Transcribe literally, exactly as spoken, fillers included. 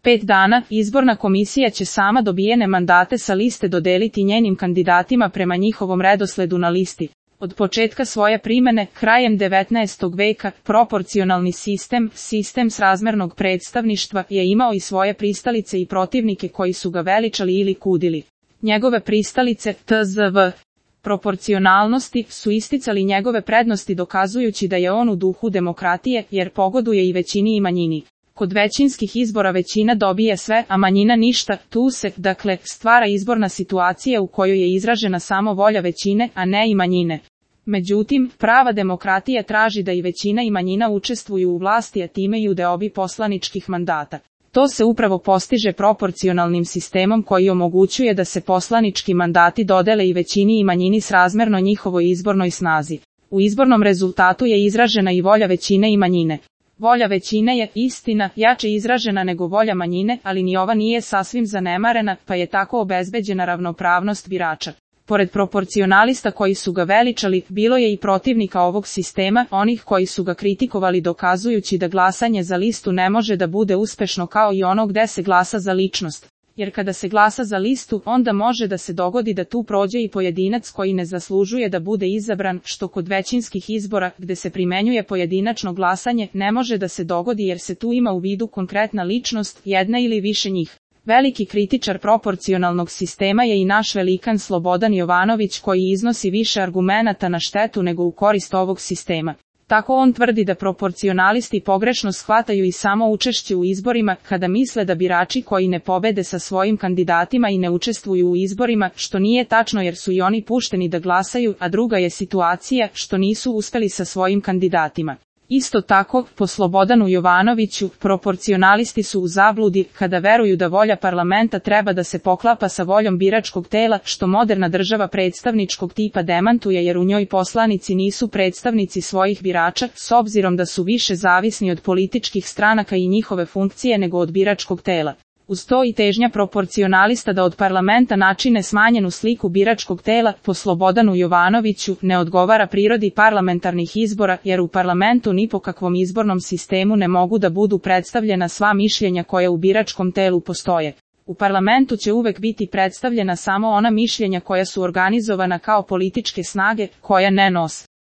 Pet dana, izborna komisija će sama dobijene mandate sa liste dodeliti njenim kandidatima prema njihovom redosledu na listi. Od početka svoje primene, krajem devetnaestog veka, proporcionalni sistem, sistem srazmernog predstavništva, je imao i svoje pristalice i protivnike koji su ga veličali ili kudili. Njegove pristalice, T Z V, proporcionalnosti, su isticali njegove prednosti dokazujući da je on u duhu demokratije, jer pogoduje i većini i manjini. Kod većinskih izbora većina dobije sve, a manjina ništa, tu se, dakle, stvara izborna situacija u kojoj je izražena samo volja većine, a ne i manjine. Međutim, prava demokratija traži da i većina i manjina učestvuju u vlasti, a time i u deobi poslaničkih mandata. To se upravo postiže proporcionalnim sistemom koji omogućuje da se poslanički mandati dodele i većini i manjini srazmerno njihovoj izbornoj snazi. U izbornom rezultatu je izražena i volja većine i manjine. Volja većine je, istina, jače izražena nego volja manjine, ali ni ova nije sasvim zanemarena, pa je tako obezbeđena ravnopravnost birača. Pored proporcionalista koji su ga veličali, bilo je i protivnika ovog sistema, onih koji su ga kritikovali dokazujući da glasanje za listu ne može da bude uspešno kao i ono gde se glasa za ličnost. Jer kada se glasa za listu, onda može da se dogodi da tu prođe i pojedinac koji ne zaslužuje da bude izabran, što kod većinskih izbora, gde se primenjuje pojedinačno glasanje, ne može da se dogodi jer se tu ima u vidu konkretna ličnost, jedna ili više njih. Veliki kritičar proporcionalnog sistema je i naš velikan Slobodan Jovanović koji iznosi više argumenata na štetu nego u korist ovog sistema. Tako on tvrdi da proporcionalisti pogrešno shvataju i samo učešće u izborima, kada misle da birači koji ne pobede sa svojim kandidatima i ne učestvuju u izborima, što nije tačno jer su i oni pušteni da glasaju, a druga je situacija što nisu uspeli sa svojim kandidatima. Isto tako, po Slobodanu Jovanoviću, proporcionalisti su u zabludi kada veruju da volja parlamenta treba da se poklapa sa voljom biračkog tela, što moderna država predstavničkog tipa demantuje jer u njoj poslanici nisu predstavnici svojih birača, s obzirom da su više zavisni od političkih stranaka i njihove funkcije nego od biračkog tela. Uz to i težnja proporcionalista da od parlamenta načine smanjenu sliku biračkog tela, po Slobodanu Jovanoviću, ne odgovara prirodi parlamentarnih izbora, jer u parlamentu ni po kakvom izbornom sistemu ne mogu da budu predstavljena sva mišljenja koja u biračkom telu postoje. U parlamentu će uvek biti predstavljena samo ona mišljenja koja su organizovana kao političke snage, koja ne nos.